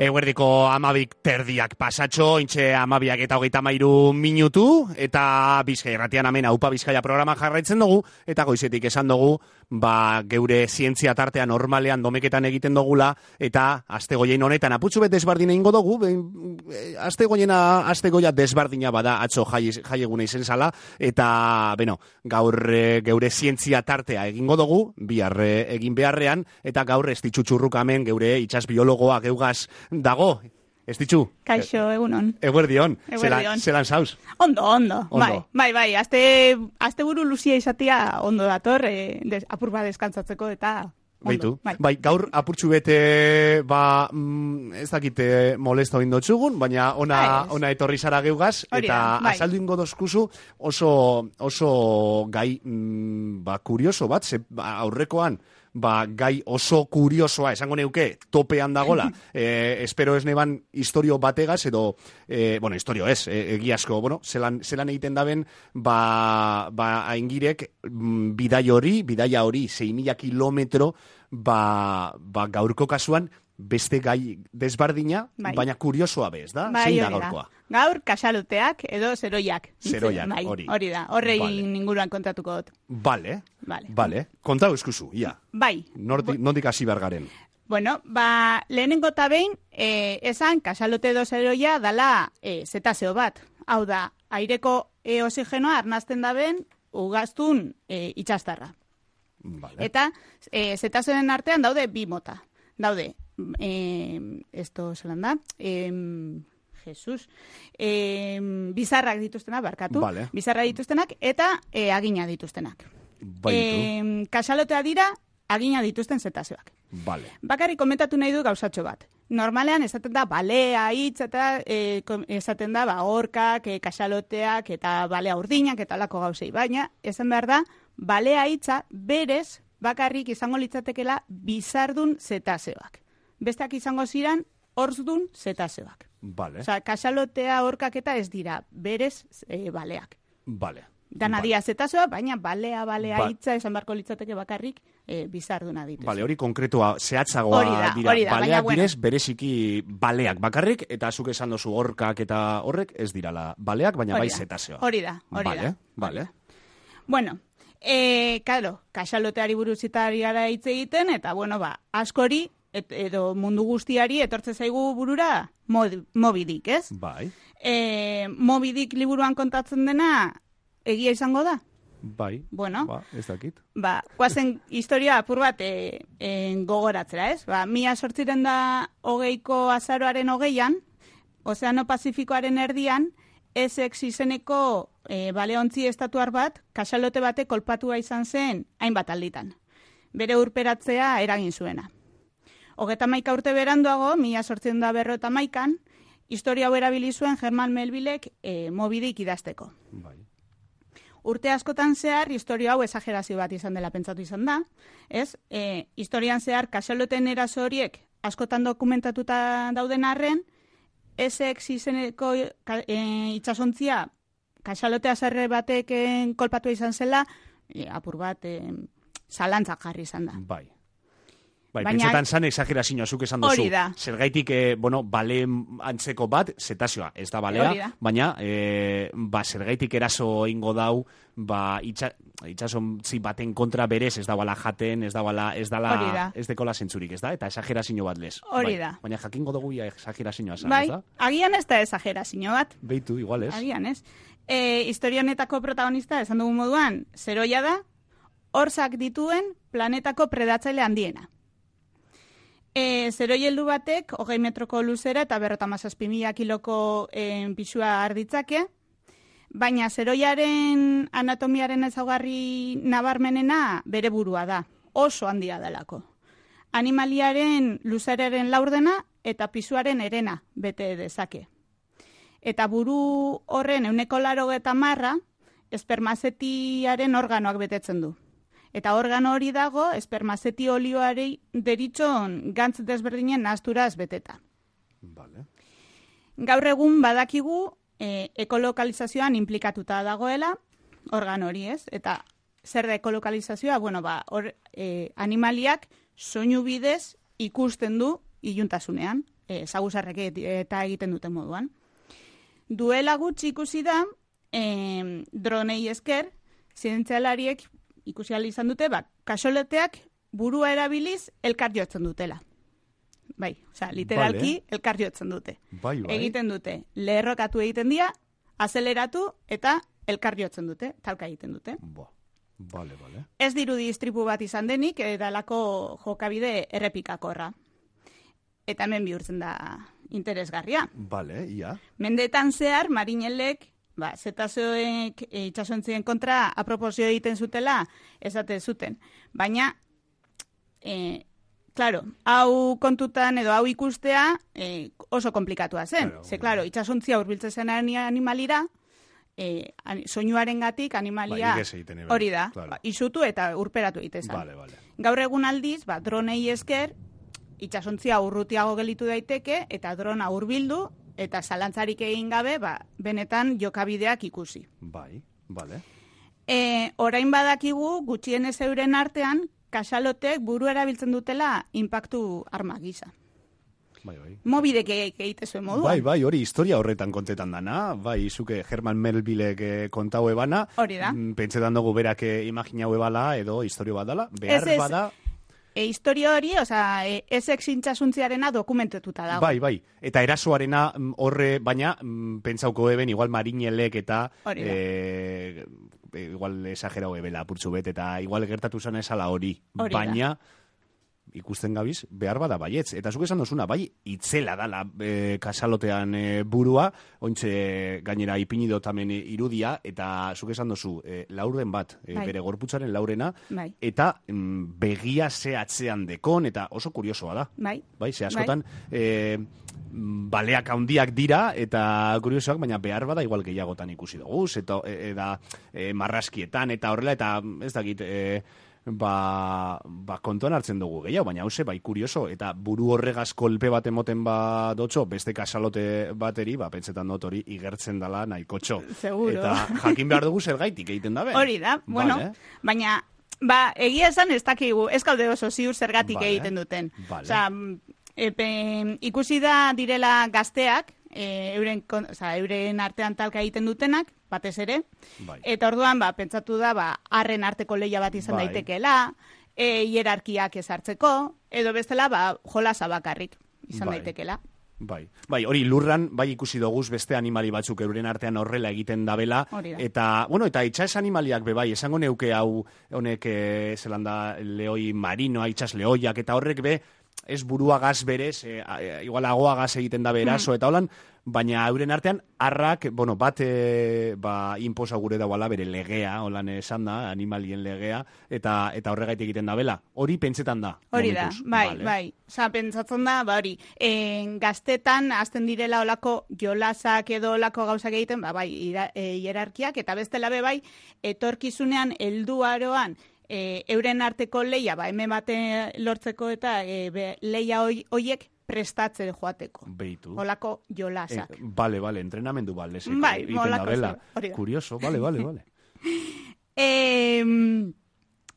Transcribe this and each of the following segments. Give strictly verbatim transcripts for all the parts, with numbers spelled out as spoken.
Eguerdiko amabik terdiak pasatxo, intxe amabiak eta hogeita mairu minutu, eta Bizkaia irratian hemen Aupa Bizkaia programa jarraitzen dugu, eta goizetik esan dugu, ba, geure zientzia tartea normalean domeketan egiten dugula, eta astegoien honetan aputxu bet desbardina ingo dugu, astegoiena, astegoia desbardina bada atzo jai, jai eguna izen zala, eta, beno, gaur e, geure zientzia tartea egingo dugu, bihar egin beharrean, eta gaur ez ditxutxurruk hemen geure itxas biologoa geugaz dago, ez ditxu? Kaixo, egunon. Eguerdion. Eguerdion. Zelan zauz? Ondo, ondo, Ondo. Bai, bai, bai. Azte, azte buru luzia izatea ondo dator, e, des, apur bat deskantzatzeko eta ondo. Beitu. Bai. Bai, gaur apurtxu bete, ba, mm, ez dakite molesto indotxugun, baina ona, Bai, ona etorri zara geugaz, Hori eta da, bai. azaldu ingo dozkuzu oso, oso gai, mm, ba, kurioso bat, ze, ba, aurrekoan, ba, gai oso kuriosoa, esango neuke, topean dagola, e, espero ez neban historio bategaz, edo, e, bueno, historio ez, e, egiazko, bueno, zelan, zelan egiten daben, ba, ba, aingirek, mm, bidai hori, bidaia hori, sei mila kilometro, ba, ba, gaurko kasuan, beste gai desbardina, Bai. baina kuriosoa bez, da? Bai, Zein da hori da. gaurkoa? Gaur, kasaluteak edo zeroiak. Zeroiak, Bai, hori. Hori da, horrei Vale. inguruan kontatuko dut. Bale, Vale. bale. Kontau eskuzu, ia. Bai. Nordik, nondik hasi bergaren. Bueno, ba, lehenengo eta behin, e, esan, kasalote edo zeroia dala e, zetazeo bat. Hau da, aireko e, oxigenoa arnazten daben ugaztun e, itxastarra. Vale. Eta e, zetazeoen artean daude bi mota. Daude, eh, esto zelan da, eh, Jesus, eh, bizarrak dituztenak, barkatu, Vale. bizarrak dituztenak eta eh, agina dituztenak. Baitu. Eh, kasalotea dira, agina dituzten zetazeoak. Vale. Bakarrik komentatu nahi du gauzatxo bat. Normalean esaten da balea hitz eta e, esaten da ba orkak, e, kasaloteak eta balea urdinak eta lako gauzei, baina esan behar da balea hitza berez bakarrik izango litzatekela bizardun zetazeoak. Besteak izango ziran horzdun zetazeoak. Vale. Osea, kasalotea orkak eta ez dira berez e, baleak. Vale. Dana Vale. dira zetazeoa, baina balea, balea Ba- hitza esan barko litzateke bakarrik e, bizarduna dituz. Vale, hori konkretua, zehatzagoa Hori da, dira. hori da, baina Baleak bueno. direz, bereziki baleak bakarrik, eta zuk esan dozu orkak eta horrek ez dirala baleak, baina Hori bai da, zetazeoa. Hori da, hori vale, da. Vale, Bueno, eh, claro, kasaloteari buruzitari gara hitz egiten, eta bueno, ba, askori, et, edo mundu guztiari etortze zaigu burura Moby Dick, ez? Bai, Eh, Moby Dick liburuan kontatzen dena egia izango da? bai, Bueno. ba, ez dakit. Ba, guazen historia apur bat e, e, gogoratzera, ez? Ba, mila sortziren da hogeiko azaroaren hogeian, Ozeano Pazifikoaren erdian, Essex izeneko e, baleontzi estatuar bat, kasalote bate kolpatua izan zen hainbat alditan. Bere urperatzea eragin zuena. Hogeta maika urte beranduago, mila sortzen da berro eta maikan, historia hau erabili zuen Herman Melvillek e, Moby Dick idazteko. Bai. Urte askotan zehar, historia hau esagerazio bat izan dela pentsatu izan da, ez? E, historian zehar, kasaloten eraso horiek askotan dokumentatuta dauden arren, Essex izeneko e, itxasontzia kasalotea zerre batek kolpatua izan zela, e, apur bat e, zalantzak jarri izan da. Bai. Bai, Baina- pentsetan zan exagerazioa zuk esan duzu. Hori da. Zergaitik, eh, bueno, bale antzeko bat, zetazioa, ez da balea, Hori da. baina, eh, ba, zergaitik eraso ingo dau, ba, itxa, itxasontzi baten kontra berez, ez da bala jaten, ez da bala, ez Hori dala, da. ez dekola zentzurik, ez da? Eta exagerazio bat lez. Hori Bai. da. Baina jakingo dugu ia exagerazioa zan, Bai, ez da? agian ez da esagerazio bat, Beitu, igual ez? agian ez. E, historia honetako protagonista, esan dugun moduan, zeroia da, horzak dituen planetako predatzaile handiena. E, zeroi heldu batek, hogei metroko luzera eta berrota mazazpi mila kiloko e, pisua arditzake, baina zeroiaren anatomiaren ezaugarri nabarmenena bere burua da, oso handia delako. Animaliaren luzeraren laurdena eta pisuaren erena bete dezake. Eta buru horren euneko laro eta marra, espermazetiaren organoak betetzen du. Eta organo hori dago, espermazeti olioari deritxon gantz desberdinen nahazturaz beteta. Vale. Gaur egun badakigu e, ekolokalizazioan implikatuta dagoela organo hori, ez? Eta zer da ekolokalizazioa? Bueno, ba, or, e, animaliak soinu bidez ikusten du iluntasunean. e, zaguzarrek eta egiten duten moduan. Duela gutxi ikusi da, e, dronei esker, zientzialariek ikusi ahal izan dute, ba, kaxoleteak burua erabiliz elkar jotzen dutela. Bai, osea, literalki vale. Elkar jotzen dute. Bai, bai. Egiten dute, lerrokatu egiten dira, azeleratu eta elkar jotzen dute, talka egiten dute. Ba, vale, vale. Ez dirudi istripu bat izan denik, edalako jokabide errepikakorra. Eta hemen bihurtzen da interesgarria. Vale, ia. Mendetan zehar, marinelek, ba, zetazoek e, itxasontzien kontra aproposio egiten zutela, esate zuten. Baina, e, claro, hau kontutan edo hau ikustea e, oso komplikatua zen. Claro, Ze, claro, itxasontzia hurbiltzen zen animalira, e, soinuaren gatik animalia ba, hori da, claro. Ba, izutu eta urperatu egiten zen. Vale, vale. Gaur egun aldiz, ba, dronei esker, itxasontzia urrutiago gelitu daiteke, eta drona hurbildu, eta zalantzarik egin gabe, ba, benetan jokabideak ikusi. Bai, vale. E, orain badakigu, gutxienez euren artean, kaxalotek buru erabiltzen dutela inpaktu arma gisa. Bai, bai. Mobidek egite zuen moduan. Bai, bai, hori historia horretan kontetan dana. Bai, zuke Herman Melvillek kontau ebana. Hori da. Pentsetan dugu berak imaginau ebala edo historio bat dala. Behar ez, ez, bada... E, historio hori, oza, e, ezek zintxasuntziarena dokumentetuta dago. Bai, bai. Eta erasoarena horre, baina pentsauko eben, igual marinelek eta... E, igual esagerau ebela apurtzu bet, eta igual gertatu zen esala hori. hori baina... ikusten gabiz, behar bada baietz. Eta zuk esan dozuna, bai, itzela dala e, kasalotean e, burua, ointxe gainera ipinido tamen irudia, eta zuk esan dozu, e, laurden bat, e, bai. bere gorputzaren laurena, bai. eta mm, begia ze atzean dekon, eta oso kuriosoa da. Bai. Bai, ze askotan, bai. E, baleak handiak dira, eta kuriosoak, baina behar bada igual gehiagotan ikusi dugu, eta e, e, marraskietan, eta horrela, eta ez dakit... E, Ba, ba kontuan hartzen dugu gehiago, baina hause, bai, kurioso, eta buru horregaz kolpe bat emoten ba dotxo, beste kasalote bateri, ba, pentsetan dut hori igertzen dala nahikotxo. Seguro. Eta jakin behar dugu zergaitik egiten dabe. Hori da, bueno, vale. Baina, ba, egia esan ez dakigu, ez kaude oso ziur zergatik vale. Egiten duten. Vale. Osa, epe, ikusi da direla gazteak, e, euren, oza, euren artean talka egiten dutenak, batez ere, bai. Eta orduan, ba, pentsatu da, ba, arren arteko leia bat izan bai. Daitekeela, e, hierarkiak ezartzeko, edo bestela, ba, jolasa bakarrik izan bai. Daitekeela. Bai. Bai, hori lurran, bai ikusi doguz beste animali batzuk euren artean horrela egiten dabela, eta, bueno, eta itxas animaliak be bai, esango neuke hau, honek, e, zelanda, leoi marino, itxas leoiak, eta horrek be, ez buruagaz berez, e, igual agoagaz egiten da beraso, mm. eta holan, baina euren artean, arrak, bueno, bat e, ba, inposa gure dauala bere legea, holan esan da, animalien legea, eta eta horregaitik egiten da bela. Hori pentsetan da. Hori momentuz. da, bai, vale. bai. Osa, pentsatzen da, ba hori, en, gaztetan, azten direla olako jolasak edo olako gauzak egiten, ba, bai, ira, e, hierarkiak, eta bestela be bai, etorkizunean, helduaroan, E, euren arteko leia, ba, hemen bate lortzeko eta e, be, leia hoiek prestatzen joateko. Beitu. Olako jolasak. E, bale, bale, entrenamendu bale. Bai, olako. Kurioso, bale, bale, bale. e,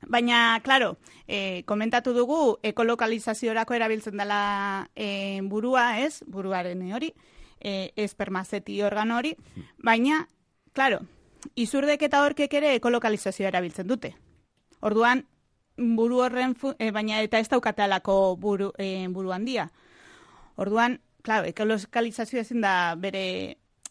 baina, klaro, e, komentatu dugu, ekolokalizaziorako erabiltzen dela e, burua, ez? Buruaren hori, e, espermazeti organo hori, baina, klaro, izurdek eta horkek ere ekolokalizazioa erabiltzen dute. Orduan, buru horren, e, baina eta ez daukatalako buru, e, buru handia. Orduan, claro, ekolokalizazioa ezin da bere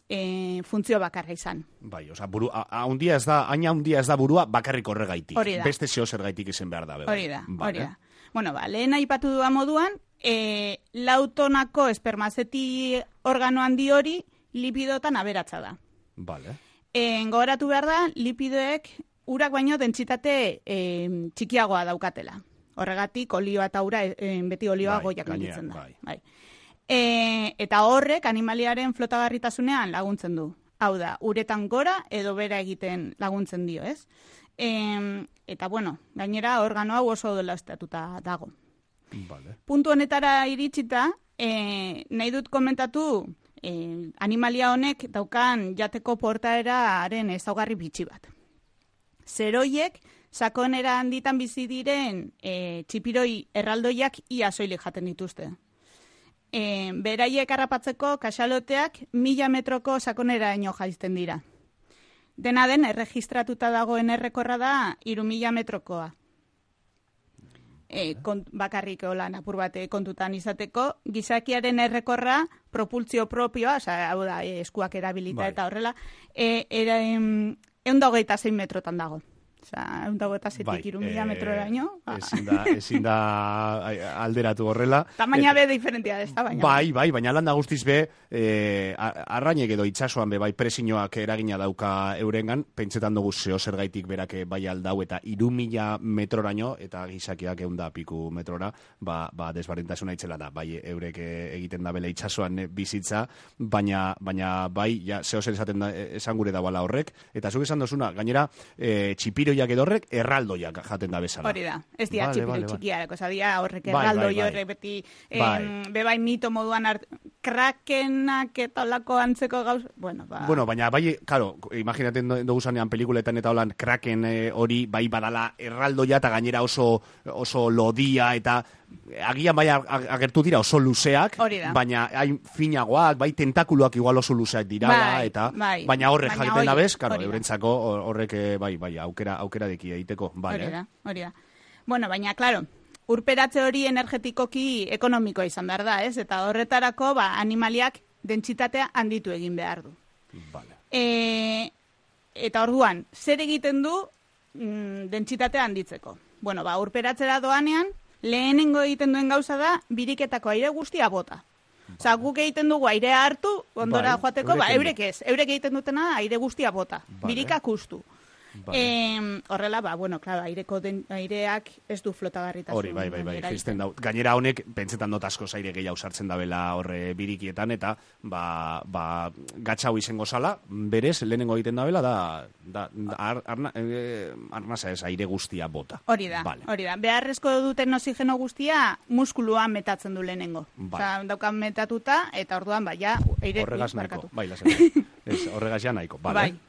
e, funtzio bakarra izan. Bai, oza, buru, haundia ez da, aina haundia ez da burua bakarrik horregaitik. Hori da. Beste zeo zergaitik izen behar da. Bai. Hori da, vale. Hori da. Bueno, ba, lehen aipatu duan moduan, e, lautonako espermazeti organo handi hori lipidotan aberatza da. Vale. E, gogoratu behar da, lipidoek urak baino dentsitate e, txikiagoa daukatela. Horregatik, olioa eta ura, e, beti olioa bai, goiak gelditzen da. Bai. Bai. E, eta horrek animaliaren flotagarritasunean laguntzen du. Hau da, uretan gora edo bera egiten laguntzen dio, ez? E, eta, bueno, gainera organo hau oso dela estatuta dago. Vale. Puntu honetara iritsita, e, nahi dut komentatu e, animalia honek daukan jateko portaeraren ezaugarri bitxi bat. Zeroiek, sakonera handitan bizi diren e, txipiroi erraldoiak ia soilik jaten dituzte. e, beraiek harrapatzeko kaxaloteak mila metroko sakoneraino jaizten dira. Dena den, erregistratuta dagoen errekorra da hiru mila metrokoa. E, kont, bakarrik olan apur bate kontutan izateko, gizakiaren errekorra propultzio propioa, oza, hau da, e, eskuak erabilita bai. Eta horrela, e, era, em, egun da hogeita zein metrotan dago. Oza, egun da hogeita zeitik hiru mila metroraino. Ezin da, ezin da alderatu horrela. Tamaina be diferentia ez da, baina. Bai, bai, baina landa guztiz be, e, arrainek edo itsasoan be, bai, presinoak eragina dauka eurengan, pentsetan dugu zeo zergaitik berak bai aldau, eta hiru mila metroraino, eta gizakiak egun da piku metrora, ba, ba desberdintasuna itzela da, bai, eurek egiten da bela itsasoan bizitza, baina, baina bai, ja, zeo zer esaten da, esan gure da bala horrek, eta zuk esan dozuna, gainera, e, txipiro edorrek erraldoiak jaten da bezala. Hori da, ez dira vale, txipiro vale, txikiarako, vale. Zadia horrek bai, erraldoi bai, bai. horrek beti bai. em, bebai mito moduan art, krakenak eta olako antzeko gauz, bueno, ba... Bueno, baina bai, claro, imaginaten dugu zanean pelikuletan eta holan kraken hori eh, bai badala erraldoia eta gainera oso, oso lodia eta agian bai agertu dira oso luzeak, baina hain finagoak, bai tentakuluak igual oso luzeak dira, bai, eta bai. baina horrek baina jakiten da bez, claro, eurentzako horrek bai, bai, aukera, aukera deki egiteko, vale. Hori da, hori da. Bueno, baina, claro, urperatze hori energetikoki ekonomikoa izan behar da, ez? Eta horretarako, ba, animaliak dentsitatea handitu egin behar du. Vale. E, eta orduan, zer egiten du mm, dentsitatea handitzeko? Bueno, ba, urperatzera doanean, lehenengo egiten duen gauza da, biriketako aire guztia bota. Vale. Osa, guk egiten dugu airea hartu, ondora bai, joateko, ba, eurek ez. Eurek egiten dutena aire guztia bota. Vale. Birikak ustu. Vale. E, horrela, ba, bueno, claro, aireko den, aireak ez du flotagarritasun. Hori, bai, bai, bai, jisten dau. Gainera honek, pentsetan dut asko aire gehiago sartzen dabela horre birikietan, eta, ba, ba, gatxau izango zala, berez, lehenengo egiten dabela, da, da, ar, arna, eh, arnasa ez, aire guztia bota. Hori da, vale. Hori da. Beharrezko duten oxigeno guztia muskulua metatzen du lehenengo. Vale. Osa, daukan metatuta, eta orduan, ba, ja, aire... Horregaz nahiko, bai, lasen. Horregaz ja nahiko, vale. Bai.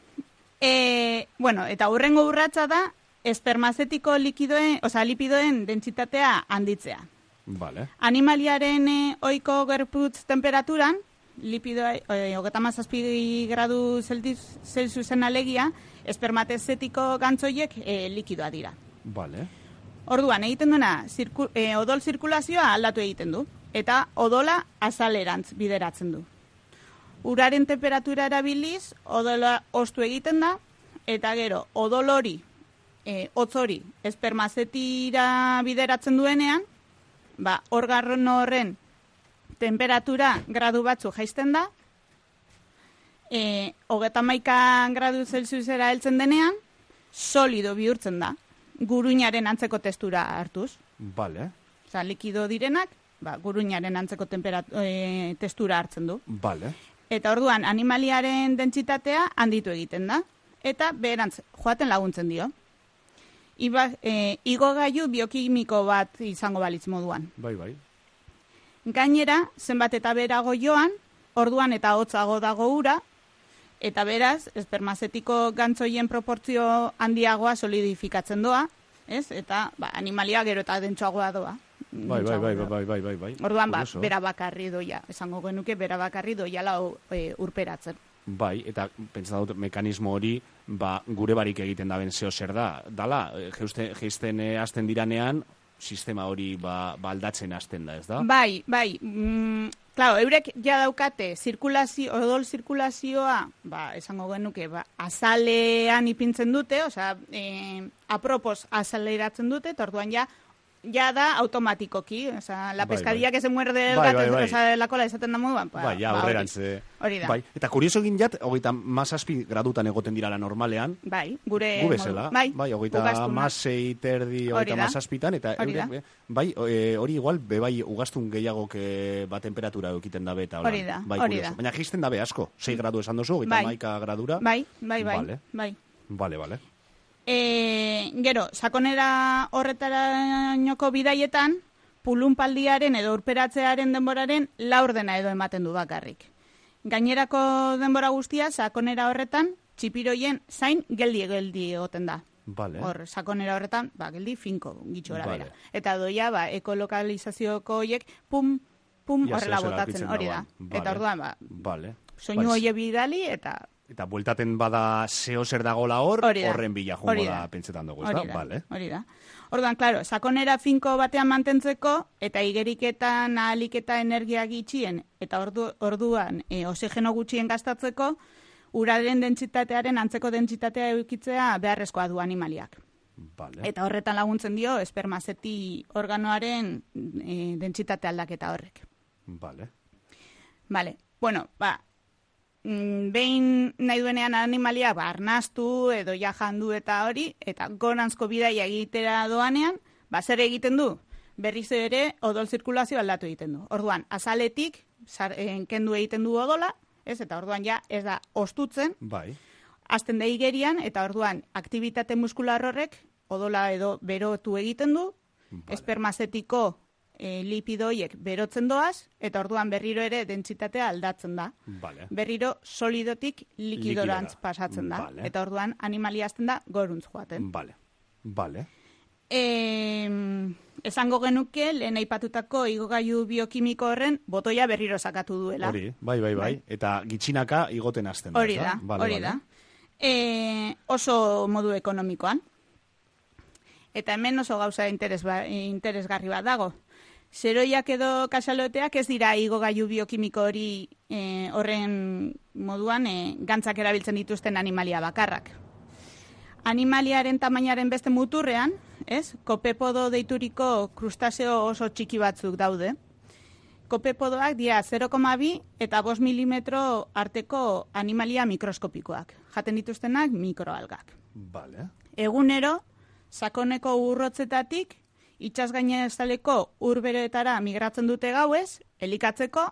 E, bueno, eta hurrengo urratsa da espermazetiko likidoen, osea, lipidoen dentsitatea handitzea. Vale. Animaliaren e, ohiko gorputz temperaturan, lipidoa e, hogeita hamazazpi gradu Celsiusen alegia, espermazetiko gantzoiek e, likidoa dira. Vale. Orduan, egiten duena, zirku, e, odol zirkulazioa aldatu egiten du, eta odola azalerantz bideratzen du. Uraren temperatura erabiliz, odola ostu egiten da, eta gero, odol hori, e, hotz hori, espermazetira bideratzen duenean, ba, organo horren temperatura gradu batzu jaisten da, e, hogeita hamaika gradu Celsiusera heltzen denean, solido bihurtzen da, guruinaren antzeko testura hartuz. Vale. Osa, likido direnak, ba, guruinaren antzeko e, testura hartzen du. Vale. Eta orduan, animaliaren dentsitatea handitu egiten da. Eta beherantz, joaten laguntzen dio. Iba, e, igogailu biokimiko bat izango balitz moduan. Bai, bai. Gainera, zenbat eta berago joan, orduan eta hotzago dago ura, eta beraz, espermazetiko gantzoien proportzio handiagoa solidifikatzen doa, ez? Eta ba, animalia gero eta dentsoagoa doa. Bai, bai, bai, bai, bai, bai, bai. Orduan, ba, bera bakarri doia. Esango genuke, bera bakarri doia lau e, urperatzen. Bai, eta pentsa dut mekanismo hori, ba, gure barik egiten daben zeo zer da. Dala, geizten e, hasten diranean, sistema hori ba, ba aldatzen hasten da, ez da? Bai, bai. Mm, claro, eurek ja daukate zirkulazio, odol zirkulazioa, ba, esango genuke, ba, azalean ipintzen dute, osea, e, apropos azaleratzen dute, eta orduan ja, ya da automatikoki, o sea, la pescadilla bai, bai. que se muerde el bai, gato, bai, bai. o sea, la cola esaten da moduan. Ba, bai, ja, ba, horrerantze. Hori da. Bai, eta kurioso egin jat, hogeita mazazpi gradutan egoten dirala normalean. Bai, gure... Gu bezala. Bai, bai hogeita mazei terdi, hogeita mazazpitan, eta eurek, bai, e, hori igual, bebai, ugaztun gehiago que ba temperatura eukiten dabe, eta hori da, bai, hori da. Baina jisten dabe asko, sei gradu esan dozu, hogeita bai. maika gradura. Bai, bai, bai, vale. bai. Vale, vale. E, gero, sakonera horretarainoko bidaietan, pulunpaldiaren edo urperatzearen denboraren laurdena edo ematen du bakarrik. Gainerako denbora guztia, sakonera horretan, txipiroien zain geldi-geldi egoten da. Vale. Hor, sakonera horretan, ba, geldi finko, gitxora vale. bera. Eta doia, ba, ekolokalizazioko hoiek, pum, pum, Ia, horrela zehozela botatzen, aurkitzen hori da. dagoen. Vale. Eta orduan, ba, Vale. soinu Bai, hoie bidali, eta Eta bueltaten bada zeo zer dagola hor, Hori da. horren bila jungo Hori da da. pentsetan dugu, ez da? hori da, Vale. hori da. Orduan, klaro, sakonera finko batean mantentzeko, eta igeriketan ahalik eta energia gitxien, eta ordu, orduan e, oxigeno gutxien gastatzeko, uraren dentsitatearen antzeko dentsitatea eukitzea beharrezkoa du animaliak. Vale. Eta horretan laguntzen dio espermazeti organoaren e, dentsitate aldaketa horrek. Vale. Vale, bueno, ba, mm, behin nahi duenean animalia ba, arnastu edo ja jandu eta hori, eta goranzko bidaia egitera doanean, ba, zer egiten du? Berriz ere odol zirkulazio aldatu egiten du. Orduan, azaletik sar, eh, kendu egiten du odola, ez? Eta orduan ja ez da ostutzen, Bai. hasten da igerian, eta orduan aktibitate muskular horrek odola edo berotu egiten du, Vale. espermazetiko e, lipidoiek berotzen doaz, eta orduan berriro ere dentsitatea aldatzen da. Vale. Berriro solidotik likidorantz Likidora. pasatzen da. Vale. Eta orduan animalia hasten da goruntz joaten. Vale. Vale. E, esango genuke, lehen aipatutako igogailu biokimiko horren botoia berriro sakatu duela. Hori, bai, bai, bai. Bai. Eta gitxinaka igoten hasten da. Hori ez da, Vale, hori vale. da. E, oso modu ekonomikoan. Eta hemen oso gauza interes ba, interesgarri bat dago. Zeroiak edo kasaloteak ez dira igogailu biokimiko hori e, horren moduan e, gantzak erabiltzen dituzten animalia bakarrak. Animaliaren tamainaren beste muturrean, ez? Kopepodo deituriko krustaseo oso txiki batzuk daude. Kopepodoak dira zero koma bi eta bost milimetro arteko animalia mikroskopikoak. Jaten dituztenak mikroalgak. Vale. Egunero, sakoneko urrotzetatik, itsasgainezaleko urberoetara migratzen dute gauez, elikatzeko,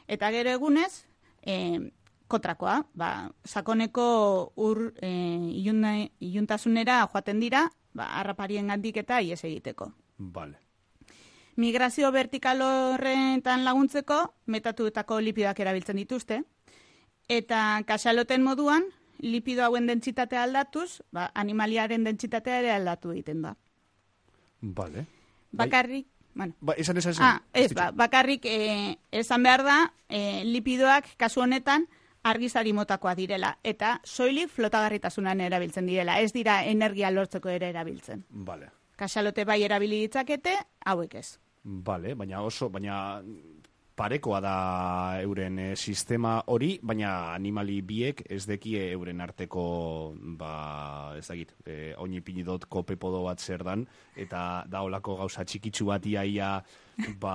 eta gero egunez, e, kontrakoa, ba, sakoneko ur e, iluna, iluntasunera joaten dira, ba, harraparien gandik eta ies egiteko. Vale. Migrazio vertikal horretan laguntzeko, metatuetako lipidoak erabiltzen dituzte, eta kasaloten moduan, lipido hauen dentsitatea aldatuz, ba, animaliaren dentsitatea ere aldatu egiten da. Vale. Bakarrik, bueno, Ba, esan, esan, esan. ah, ez, ba, bakarrik eh, esan behar da, eh, lipidoak kasu honetan argizari motakoa direla, eta soilik flotagarritasunan erabiltzen direla, ez dira energia lortzeko ere erabiltzen. Vale. Kasalote bai erabili ditzakete, hauek ez. Vale, baina oso, baina parekoa da euren eh, sistema hori, baina animali biek ez dekie euren arteko, ba, ez dakit, eh, oinipinidot kopepodo bat zer dan, eta da olako gauza txikitsu bat iaia, ba,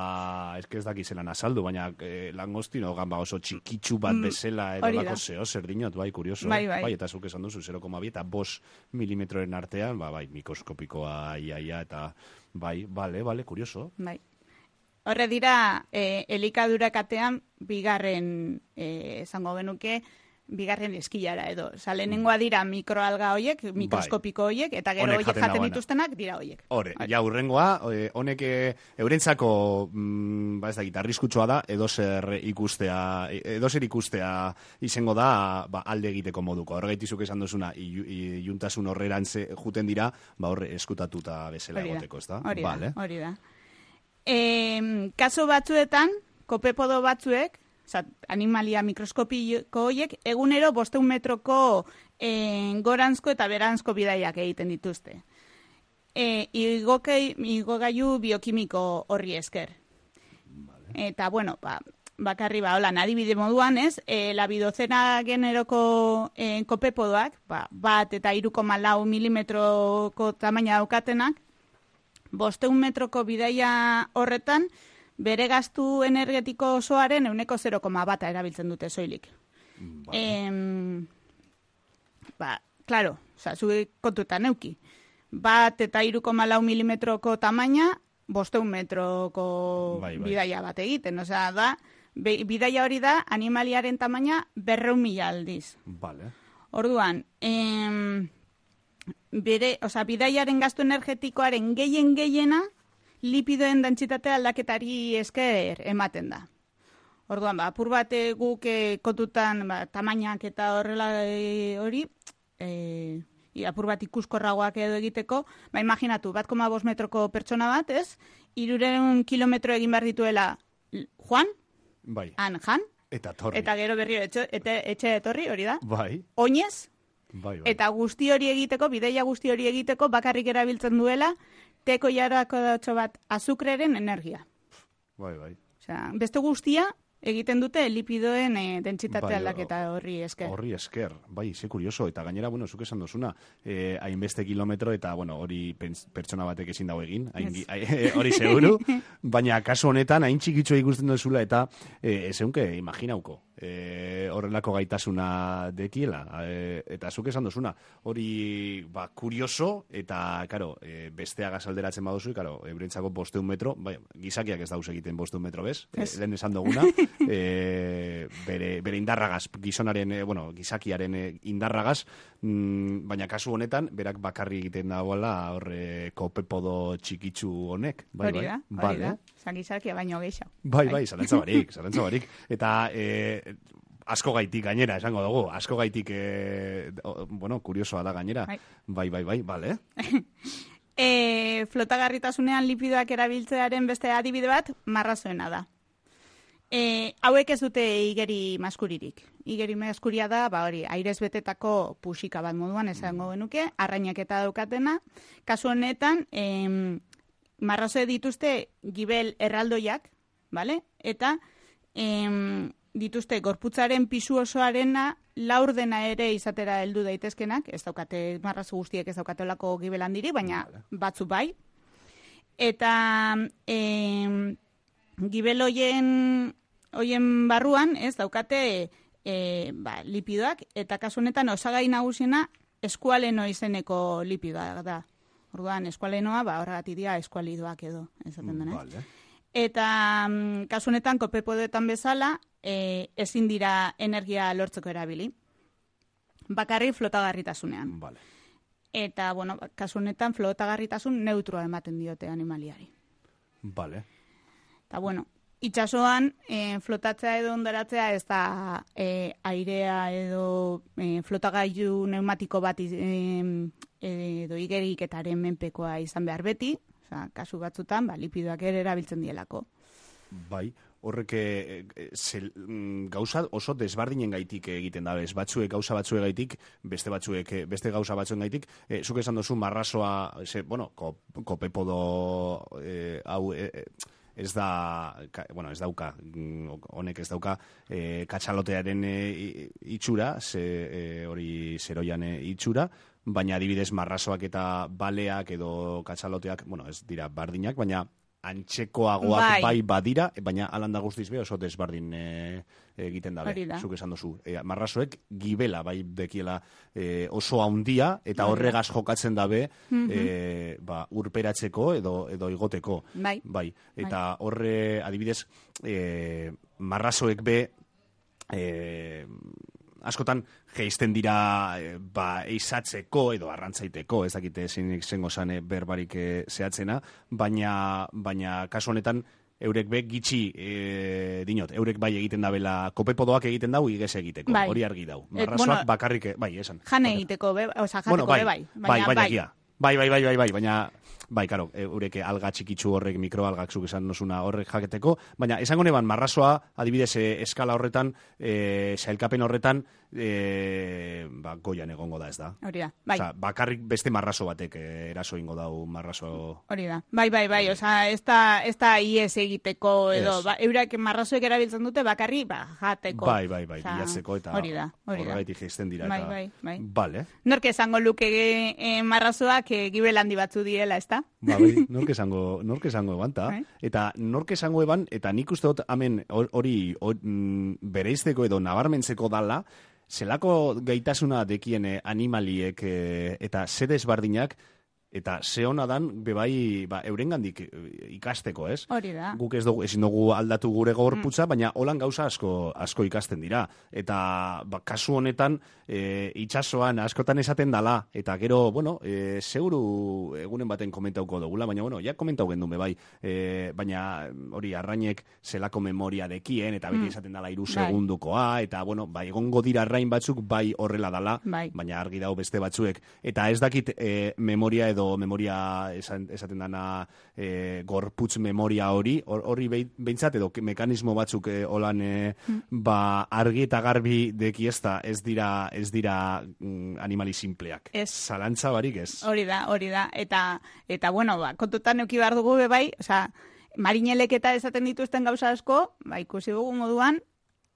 ez ez daki zelan azaldu, baina eh, langostino gan ba oso txikitsu bat bezala, edo hori da. lako zeo, zer dinot, bai, kurioso. Bai, bai. eta zuk esan duzu, zero koma bi eta bost milimetroren artean, ba, bai, mikroskopikoa iaia, eta bai, bale, bale, kurioso. Bai. Horre dira, eh, elikadura katean, bigarren, eh, esango genuke, bigarren eskilara edo. Osa, lehenengoa dira mikroalga hoiek, mikroskopiko hoiek, eta gero Honek hoiek jaten jaten dagoena. dituztenak dira hoiek. Hore, ja, urrengoa, eh, honek eh, eurentzako, mm, ba ez da, gitarriskutsua da, edozer ikustea, edozer ikustea izango da, ba, alde egiteko moduko. Horregaitizuk esan duzuna, ilu- iluntasun horrerantze juten dira, ba horre eskutatuta bezala Hori da, egoteko, ez da? hori da, Vale. hori da. E, kaso batzuetan, kopepodo batzuek, oza, animalia mikroskopiko horiek, egunero bosteun metroko e, goranzko eta beranzko bidaiak egiten dituzte. E, igokei, igogailu biokimiko horri esker. Eta, bueno, ba, bakarri ba, hola, adibide moduan, ez, e, labidozena generoko e, kopepodoak, ba, bat eta hiru koma lau milimetroko tamaina daukatenak, bosteun metroko bidaia horretan, bere gastu energetiko osoaren euneko zero koma bata erabiltzen dute soilik. Vale. Em, ba, claro, oza, zuek kontutan euki. Bat eta hiru koma lau milimetroko tamaina, bosteun metroko Bai, bai. bidaia bat egiten. Osea, da, be, bidaia hori da animaliaren tamaina berreun mila aldiz. Vale. Orduan, em, bere, osea, bidaiaren gastu energetikoaren gehien gehiena lipidoen dentsitatea aldaketari esker ematen da. Orduan, ba, apur bat eh, guk eh, kontutan ba, tamainak eta horrela eh, hori, eh, i apur bat ikuskorragoak edo egiteko, ba, imaginatu, bat koma bost metroko pertsona bat, ez? Irureun kilometro egin behar dituela Juan, bai. han jan, eta torri. Eta gero berriro etxe, ete, etxe etorri, hori da. Bai. Oinez, bai, bai. eta guzti hori egiteko, bideia guzti hori egiteko, bakarrik erabiltzen duela, teko jarako datxo bat azukreren energia. Bai, bai. Osea, beste guztia egiten dute lipidoen e, dentsitate bai, aldaketa horri esker. Horri esker, bai, ze kurioso. Eta gainera, bueno, zuk esan dozuna, eh, hainbeste kilometro, eta, bueno, hori pertsona batek ezin dago egin, hain, yes. Hori seguru, baina kasu honetan, hain txikitxo ikusten duzula, eta eh, ez eunke, imaginauko, eh, horrelako gaitasuna dekiela, eh, eta zuk esan dozuna, hori, ba, kurioso, eta, karo, eh, besteaga alderatzen baduzu, karo, ebrentzako bosteun metro, bai, gizakiak ez dauz egiten bosteun metro, bez? Yes. Eh, lehen esan duguna, E, bere, bere indarragaz, gizonaren, e, bueno, gizakiaren e, indarragaz, mm, baina kasu honetan, berak bakarri egiten dagoela horre kopepodo txikitsu honek. Bai, hori da, bai. hori da. Zan gizakia baino gehiago. Bai, bai, zalantza barik, zalantza barik. Eta e, asko gaitik gainera, esango dugu, asko gaitik, e, bueno, kuriosoa da gainera. Bai, bai, bai, bai, bale. e, flotagarritasunean lipidoak erabiltzearen beste adibide bat, marrazoena da. E, hauek ez dute igeri maskuririk. Igeri maskuria da, ba hori, airez betetako pusika bat moduan esango genuke, arrainak eta daukatena. Kasu honetan, em, marrazoe dituzte gibel erraldoiak, vale? Eta em, dituzte gorputzaren pisu osoarena laurdena ere izatera heldu daitezkenak, ez daukate, marrazo guztiek ez daukatelako gibel handiri, baina batzu bai. Eta em, gibel hoien, hoien barruan, ez, daukate e, ba, lipidoak, eta kasu honetan osagai nagusiena eskualeno izeneko lipidoa da. Orduan, eskualenoa, ba, horregatik dira eskualidoak edo, esaten denez. Vale. Eta mm, kasu honetan, kopepodoetan bezala, e, ezin dira energia lortzeko erabili. Bakarri flotagarritasunean. Vale. Eta, bueno, kasu honetan, flotagarritasun neutroa ematen diote animaliari. Vale. Eta, bueno, itxasoan e, flotatzea edo ondaratzea ez da e, airea edo e, flotagailu pneumatiko bat e, edo igeriketaren menpekoa izan behar beti, oza, kasu batzutan, ba, lipidoak ere erabiltzen dielako. Bai, horrek e, zel, gauza oso desbardinen gaitik egiten da, ez batzuek gauza batzuek gaitik, beste batzuek, beste gauza batzuen gaitik, e, zuk esan duzu marrazoa, ze, bueno, kopepodo e, hau... E, e, ez da, bueno, ez dauka, honek ez dauka e, katxalotearen e, itxura, ze, e, hori zeroian e, itxura, baina adibidez marrazoak eta baleak edo katxaloteak, bueno, ez dira bardinak, baina antxekoagoak bai, bai badira, baina alanda guztiz be oso desbardin e, egiten dabe, zuk esan duzu. E, marrazoek gibela bai dekiela e, oso handia, eta horregaz jokatzen dabe mm-hmm. e, ba, urperatzeko edo, edo igoteko. Bai. Bai. Eta horre, adibidez, e, marrazoek be... E, askotan geizten dira e, ba, eizatzeko edo arrantzaiteko, ez dakite zein zengo zane berbarik e, zehatzena, baina, baina kasu honetan eurek be gitxi e, dinot, eurek bai egiten dabela, kopepodoak egiten dau igez egiteko, bai. Hori argi dau. Marrazoak bueno, bakarrik, bai, esan. Jane egiteko, be, oza, jateko bueno, bai, be, bai. Bai, bai, bai, bai. Bai, bai, bai, bai, bai, baina, bai, karo, eurek alga txikitsu horrek, mikroalgak zuk esan nosuna horrek jaketeko, baina esango neban, marrazoa, adibidez, e, eskala horretan, e, sailkapen horretan, e, ba, goian egongo da, ez da. Hori da, bai. Osa, bakarrik beste marrazo batek e, eraso ingo dau marrazo... Hori da, bai, bai, bai, oza, ez da, ez da ies egiteko, edo, ba, eurak marrazoek erabiltzen dute, bakarri, ba, jateko. Bai, bai, bai, bilatzeko, eta hori da, hori da. Horregaitik geizten dira, bai, eta... Bai, bai, Vale. Nork esango luke e, marrazoak e, gibel handi batzu diela, ez da? Ba, bai, nork esango, nork esango eban, ta? Bai. Eta nork esango eban, eta nik uste dut, hemen, hori mm, bereizteko edo nabarmentzeko dala, zelako gaitasuna dekien animaliek e, eta zede esbardinak, eta ze hona dan, bebai, ba, eurengandik ikasteko, ez? Hori da. Guk ez dugu, ezin dugu aldatu gure gorputza, mm. baina holan gauza asko asko ikasten dira. Eta ba, kasu honetan, e, itxasoan askotan esaten dala, eta gero, bueno, e, seguru egunen baten komentauko dugula, baina, bueno, ja komentau gendun bebai, e, baina hori arrainek zelako memoria dekien, eta beti esaten dala iru mm. segundukoa, eta, bueno, ba, egongo dira arrain batzuk bai horrela dala, bai. Baina argi dago beste batzuek. Eta ez dakit e, memoria edo edo memoria esan, esaten dana e, gorputz memoria hori, hori behintzat edo mekanismo batzuk e, holan e, mm. ba argi eta garbi deki ez da, ez dira, ez dira mm, animali simpleak. Ez. Zalantza barik ez. Hori da, hori da. Eta, eta bueno, ba, kontutan euki behar dugu bebai, osea, marinelek eta esaten dituzten gauza asko, ba, ikusi dugu moduan,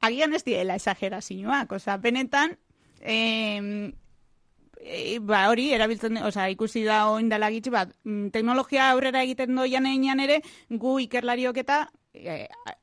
agian ez diela exagerazioak, osea, benetan, eh, e, ba, hori, erabiltzen, osea, ikusi da oindala gitxi, ba, teknologia aurrera egiten doian einan ere, gu ikerlariok eta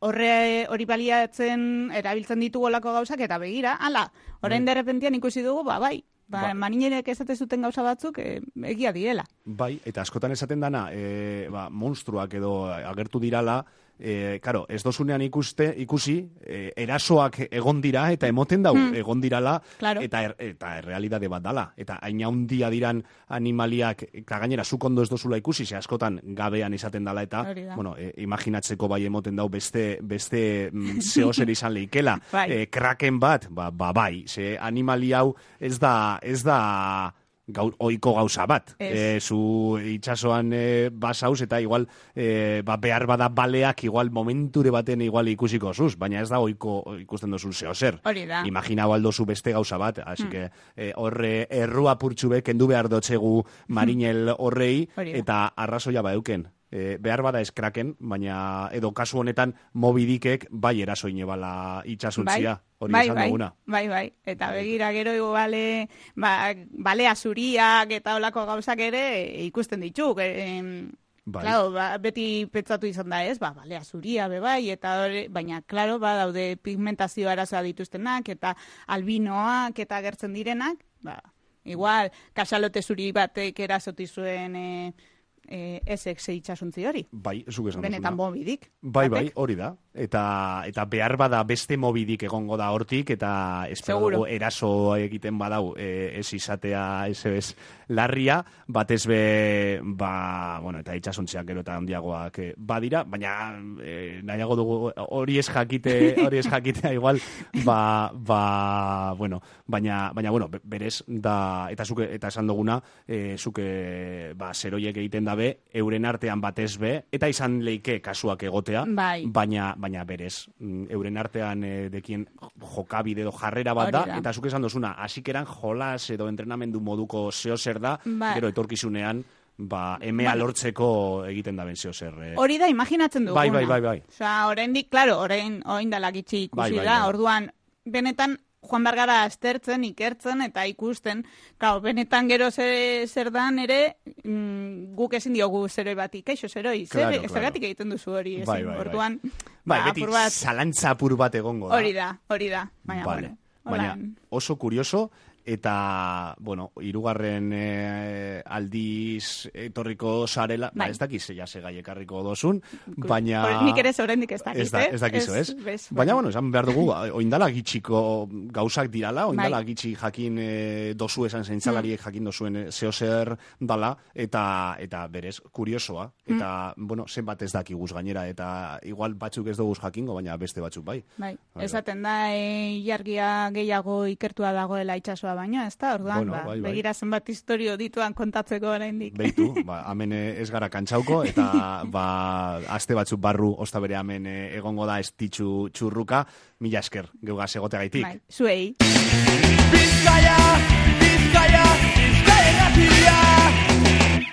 horre hori baliatzen erabiltzen ditugu olako gauzak, eta begira, ala, orain mm. derrepentian ikusi dugu, ba, bai, Ba, ba, marinerek esate zuten gauza batzuk e, egia direla. Bai, eta askotan esaten dana, e, ba, monstruak edo agertu dirala, e, karo, ez dozunean ikuste, ikusi, e, erasoak egon dira, eta emoten dau, hmm. egon dirala, claro. eta, er, eta errealidade bat dala. Eta hain handia diran animaliak, eta gainera, zuk ondo ez dozula ikusi, ze askotan gabean izaten dala, eta, bueno, e, imaginatzeko bai emoten dau beste, beste mm, zehozer izan lehikela. Bai. E, kraken bat, ba, ba bai, ze animali hau ez da ez da gau, oiko gauza bat. E, zu itxasoan e, basauz eta igual e, ba, behar bada baleak igual momenture baten igual ikusiko zuz, baina ez da oiko ikusten dozun zehozer. Hori da. Imagina baldozu beste gauza bat, así hmm. que e, horre errua purtxube kendu behar dotzegu marinel horrei eta arrazoia ba euken. E, behar bada eskraken, baina edo kasu honetan mobidikek bai erasoine bala itxasuntzia. Bai. Hori bai, esan bai, duguna. Bai, bai, eta begira gero iguale, ba, balea zuriak eta olako gauzak ere ikusten dituk. E, bai. Claro, ba, beti pentsatu izan da ez, ba, balea zuria be bai, eta hori, baina, claro, ba, daude pigmentazio arazoa dituztenak, eta albinoak, eta agertzen direnak, ba, igual, kasalote zuri batek erasoti zuen... E, Eh, esek ze itxasuntzi hori. Bai, zuk esan duzuna. Benetan mobidik. Bai, bai, hori da. Eta, eta behar bada beste mobidik egongo da hortik, eta espero dugu eraso egiten badau e, ez izatea ez ez larria, batez be, ba, bueno, eta itxasuntziak gero eta handiagoak e, badira, baina e, nahiago dugu hori ez jakite, hori ez jakitea igual, ba, ba, bueno, baina, baina, bueno, berez, da, eta zuke, eta esan duguna, e, zuke, ba, zeroiek egiten dabe, euren artean batez be, eta izan leike kasuak egotea, bai. baina, baina berez, euren artean e, dekien jokabide edo jarrera bat da, da, eta zuke esan dozuna, hasikeran jolas edo entrenamendu moduko zehozer da, ba. Gero etorkizunean, ba, emea ba. Lortzeko egiten da ben zehozer. Eh. Hori da, imaginatzen duguna. Bai, bai, bai, bai. Osa, oraindik, claro, orain, orain dalak itxi ikusi bai, bai, da, bai. Orduan, benetan, Juan Bergara aztertzen, ikertzen, eta ikusten, claro, benetan gero zer, zer dan ere, mm, guk ezin diogu zeroi bati, kaixo zeroi, claro, zer, claro. Zergatik egiten duzu hori, ezin, bai, bai, orduan, bai, ba, beti bat, zalantza apur bat egongo da. Hori da, hori da, baina, vale. bueno, baina oso kurioso, eta, bueno, hirugarren e, aldiz etorriko sarela, bai. Ba, ez dakiz ja segai ekarriko dozun, baina... Nik ere zorendik ez dakiz, ez, da, ez dakizu, ez? ez? Baina, bueno, esan behar dugu, oindala gitxiko gauzak dirala, oindala bai. Gitxi jakin e, dozu esan zentzalariek mm. jakin dozuen zehozer dala, eta, eta berez, kuriosoa, eta, mm. bueno, zenbat ez dakiguz gainera, eta igual batzuk ez duguz jakingo, baina beste batzuk bai. Bai, bai esaten da, e, jargia gehiago ikertua dagoela itxasoa baina, ez da, orduan, bueno, ba, bai, bai. Begira zenbat historio dituan kontatzeko oraindik. Beitu, ba, hemen ez gara kantxauko, eta ba, aste batzuk barru osta bere hemen egongo da estitxu txurruka, mila esker, geugaz egote gaitik. Bai, zuei. Bizkaia!